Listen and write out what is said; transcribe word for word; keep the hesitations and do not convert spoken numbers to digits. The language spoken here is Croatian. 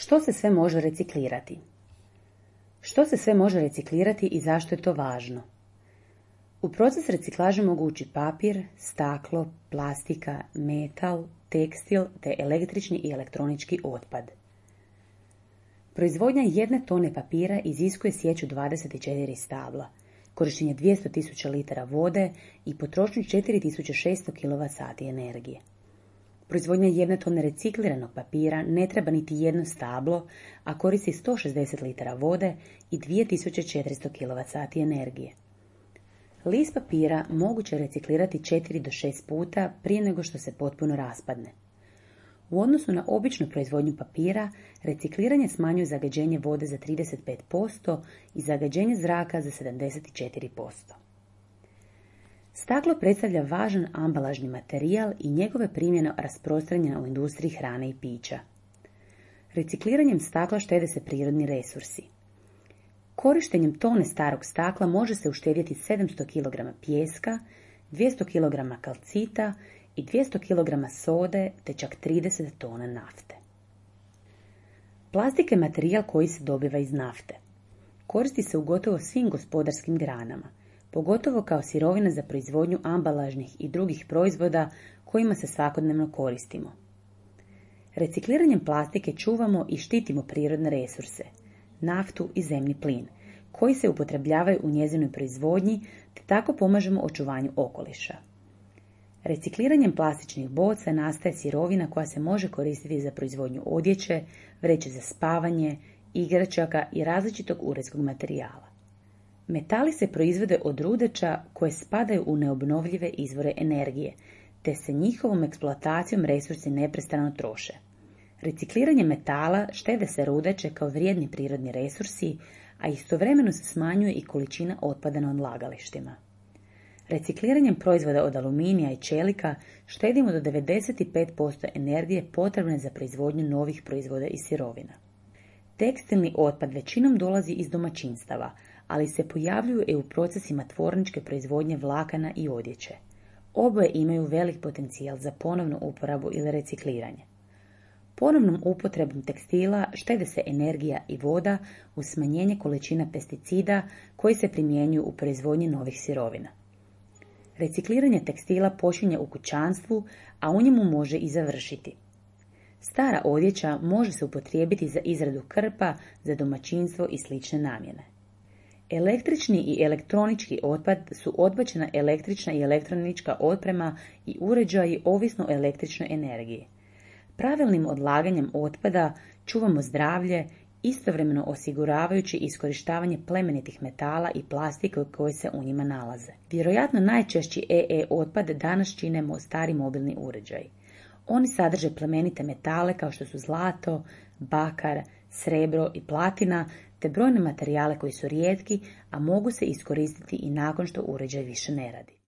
Što se sve može reciklirati? Što se sve može reciklirati i zašto je to važno? U proces reciklaže mogu ući papir, staklo, plastika, metal, tekstil te električni i elektronički otpad. Proizvodnja jedne tone papira iziskuje sječu dvadeset četiri stabla, korištenje dvjesto tisuća litara vode i potrošnju četiri tisuće šesto kilovat sati energije. Proizvodnja jedne tone recikliranog papira ne treba niti jedno stablo, a koristi sto šezdeset litara vode i dvije tisuće četiristo kilovat sati energije. List papira moguće reciklirati četiri do šest puta prije nego što se potpuno raspadne. U odnosu na običnu proizvodnju papira, recikliranje smanjuje zagađenje vode za trideset pet posto i zagađenje zraka za sedamdeset četiri posto. Staklo predstavlja važan ambalažni materijal i njegove primjene rasprostranjena u industriji hrane i pića. Recikliranjem stakla štede se prirodni resursi. Korištenjem tone starog stakla može se uštedjeti sedamsto kilograma pijeska, dvjesto kilograma kalcita i dvjesto kilograma sode te čak trideset tona nafte. Plastika je materijal koji se dobiva iz nafte. Koristi se u gotovo svim gospodarskim granama, pogotovo kao sirovina za proizvodnju ambalažnih i drugih proizvoda kojima se svakodnevno koristimo. Recikliranjem plastike čuvamo i štitimo prirodne resurse, naftu i zemni plin, koji se upotrebljavaju u njezinoj proizvodnji, te tako pomažemo očuvanju okoliša. Recikliranjem plastičnih boca nastaje sirovina koja se može koristiti za proizvodnju odjeće, vreće za spavanje, igračaka i različitog uredskog materijala. Metali se proizvode od rudeća koje spadaju u neobnovljive izvore energije, te se njihovom eksploatacijom resursi neprestano troše. Recikliranjem metala štede se rudeće kao vrijedni prirodni resursi, a istovremeno se smanjuje i količina otpada na odlagalištima. Recikliranjem proizvoda od aluminija i čelika štedimo do devedeset pet posto energije potrebne za proizvodnju novih proizvoda i sirovina. Tekstilni otpad većinom dolazi iz domaćinstava, ali se pojavljuju i u procesima tvorničke proizvodnje vlakana i odjeće. Oboje imaju velik potencijal za ponovnu uporabu ili recikliranje. Ponovnom upotrebom tekstila štede se energija i voda uz smanjenje količina pesticida koji se primjenjuju u proizvodnji novih sirovina. Recikliranje tekstila počinje u kućanstvu, a u njemu može i završiti. Stara odjeća može se upotrijebiti za izradu krpa, za domaćinstvo i slične namjene. Električni i elektronički otpad su odbačena električna i elektronička oprema i uređaji ovisno o električnoj energiji. Pravilnim odlaganjem otpada čuvamo zdravlje, istovremeno osiguravajući iskorištavanje plemenitih metala i plastike koje se u njima nalaze. Vjerojatno najčešći E E otpad danas čine stari mobilni uređaji. Oni sadrže plemenite metale kao što su zlato, bakar, srebro i platina, te brojne materijale koji su rijetki, a mogu se iskoristiti i nakon što uređaj više ne radi.